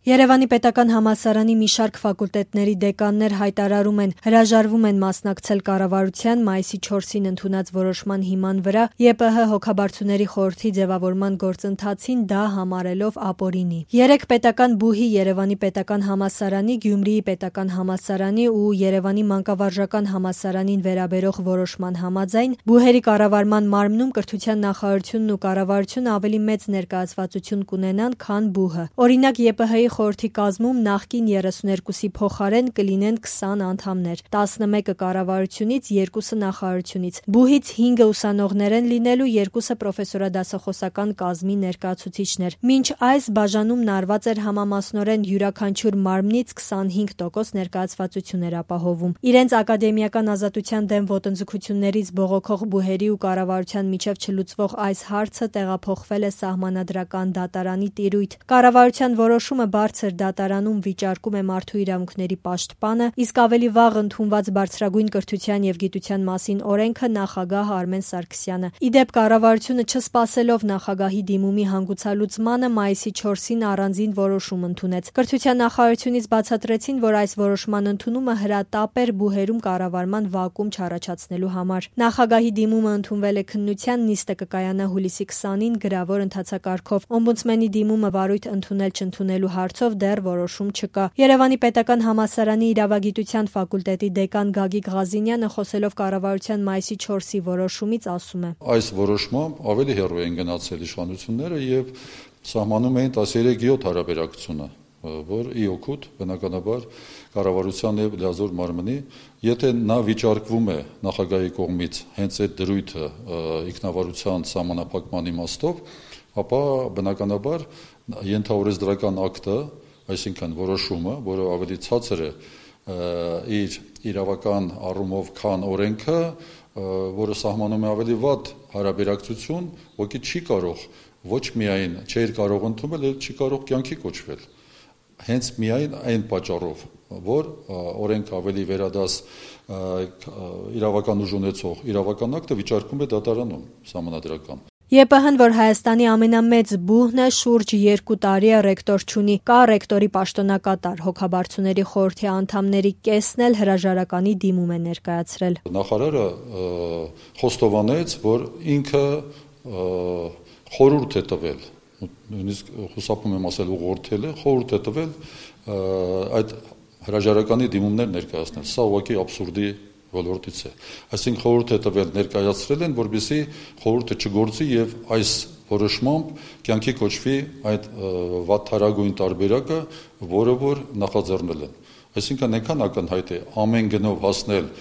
Երևանի պետական համալսարանի մի շարք ֆակուլտետների դեկաններ հայտարարում են, հրաժարվում են մասնակցել կառավարության մայիսի 4-ին ընդունած որոշման հիման վրա ԵՊՀ հոգաբարձուների խորհրդի ձևավորման գործընթացին, դա համարելով ապօրինի։ 3 պետական բուհի Երևանի պետական համալսարանի, Գյումրիի պետական համալսարանի ու Երևանի մանկավարժական համալսարանին վերաբերող որոշման համաձայն բուհերի կառավարման մարմնում կրթության նախարարությունն ու կառավարությունը ավելի մեծ ներկայացվածություն կունենան, քան բուհը։ Օրինակ, ԵՊՀ-ի խորհրդի կազմում նախկին 32-ի փոխարեն կլինեն 20 անդամներ, 11-ը կառավարությունից, 2-ը նախարարությունից։ Բուհից 5-ը ուսանողներ են լինելու, 2-ը պրոֆեսորադասախոսական կազմի ներկայացուցիչներ։ Մինչ այս բաժանումն արված էր համամասնորեն յուրաքանչյուր մարմնից 25% ներկայացվածություն էր ապահովում։ Իրենց ակադեմիական ազատության դեմ ոտնձգություններից բողոքող բուհերի ու կառավարության միջև չլուծվող այս հարցը տեղափոխվել է Սահմանադրական դատարանի տիրույթ։ Կառավարության որոշումը բարձր դատարանում վիճարկում է Մարդու իրավունքների պաշտպանը, իսկ ավելի վաղ ընդունված Բարձրագույն կրթության և գիտության մասին օրենքը նախագահ Արմեն Սարգսյանը։ Ի դեպ, կառավարությունը չսպասելով նախագահի դիմումի հանգուցալուծմանը մայիսի 4-ին առանձին որոշում ընդունեց։ Կրթության նախարարությունից բացատրեցին, որ այս որոշման ընդունումը հրատապ էր բուհերում կառավարման վակուում չառաջացնելու համար։ Նախագահի դիմումը ընդունվել է քննության, նիստը կկայանա հուլիսի 20-ին գրավոր ընթացակարգով։ Օմբուդսմենի դիմումը վարույթ ընդունել-չընդունելու հարցով դեռ որոշում չկա։ Երևանի պետական համալսարանի իրավագիտության ֆակուլտետի դեկան Գագիկ Ղազինյանը, խոսելով կառավարության մայիսի 4-ի որոշումից, ասում է. Այս որոշմամբ ավելի հեռու են գնացել իշխանությունները եւ սահմանում էին 13-7 հարաբերակցությունը, որ ի օգուտ բնականաբար կառավարության եւ լիազոր մարմնի, եթե նա վիճարկվում է նախագահի կողմից հենց այդ դրույթը ինքնավարության սահմանափակման իմաստով, ապա բնականաբար ենթաօրենսդրական ակտը, այսինքն որոշումը, որը ավելի ցածր է իր իրավական առումով, քան օրենքը, որը սահմանում է ավելի վատ հարաբերակցություն, ոքի չի կարող ոչ միայն չէր կարող ընդունել, այլ չի կարող կյանքի կոչվել։ Հենց միայն այն պատճառով, որ օրենքը ավելի վերադաս իրավական ուժ ունեցող իրավական ակտը վիճարկում է դատարանում սահմանադրական։ ԵՊՀ-ն, որ Հայաստանի ամենամեծ բուհն է, շուրջ 2 տարի է ռեկտոր չունի, կա ռեկտորի պաշտոնակատար, հոգաբարձուների խորհրդի անդամների կեսն էլ հրաժարականի դիմում է ներկայացրել։ Նախարարը խոստովանեց, որ ինքը խորհուրդ է տվել, նույնիսկ խուսափում եմ ասել ուղղորդել է, խորհուրդ է տվել այդ հրաժարականի դիմումներ ներկայացնել։ Սա ուղղակի աբսուրդի ոլորտից է։ Այսինքն խորհուրդ է տվել, ներկայացրել են, որպեսզի խորհուրդը չգործի եւ այս որոշմամբ կյանքի կոչվի այդ վատթարագույն տարբերակը, որը որ նախաձեռնել են։ Այսինքն այնքան ակնհայտ է ամեն գնով հասնել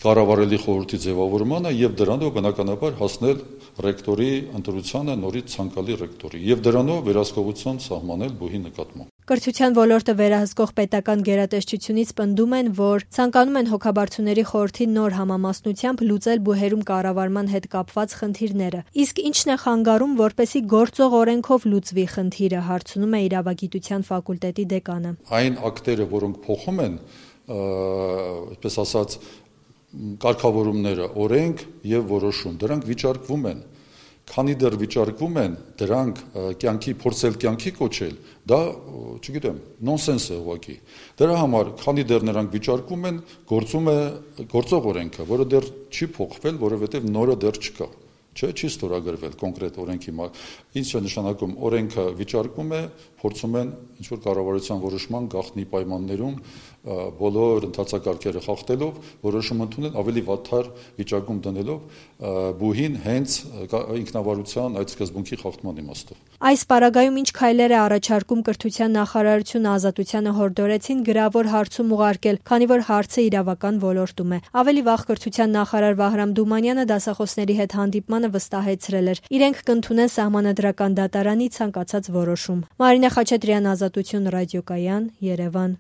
կառավարելի խորհրդի ձևավորմանը եւ դրանով բնականաբար հասնել ռեկտորի ընտրությանը, նորից ցանկալի ռեկտորի եւ դրանով վերահսկողություն սահմանել բուհի նկատմամբ։ Կրթության ոլորտը վերահսկող պետական գերատեսչությունից պնդում են, որ ցանկանում են հոգաբարձուների խորհրդի նոր համամասնությամբ լուծել բուհերում կառավարման հետ կապված խնդիրները։ Իսկ ինչն է խանգարում, որպեսզի գործող օրենքով լուծվի խնդիրը, հարցնում է իրավագիտության ֆակուլտետի դեկանը։ Այն ակտերը, որոնք փոխում են, այսպես ասած, կարգավորումները, օրենք եւ որոշում, դրանք վիճարկվում են։ Քանի դեռ վիճարկվում են, դրանք փորձել կյանքի կոչել, դա, չգիտեմ, նոնսենս է ուղղակի։ Դրա համար, քանի դեռ նրանք վիճարկվում են, գործում է գործող օրենքը, որը դեռ չի փոխվել, որովհետեւ նորը դեռ չկա։ Չի ստորագրվել կոնկրետ օրենքի։ Ինչ է նշանակում, օրենքը վիճարկվում է, փորձում են ինչ-որ կառավարության որոշման գաղտնի պայմաններում բոլոր ընթացակարգերը խախտելով որոշում ընդունել, ավելի վատթար վիճակում դնելով բուհին հենց ինքնավարության այդ սկզբունքի խախտման իմաստով։ Այս պարագայում ինչ քայլեր է առաջարկում կրթության նախարարությունը Ազատությանը հորդորեցին գրավոր հարցում ուղարկել, քանի որ հարցը իրավական ոլորտում է։ Ավելի վաղ կրթության նախարար Վահրամ Դումանյանը դասախոսների հետ հանդիպմանը վստահեցրել էր, իրենք կընդունեն Սահմանադրական դատարանի ցանկացած որոշում։ Մարինե Խաչատրյան, Ազատություն ռադիոկայան, Երևան։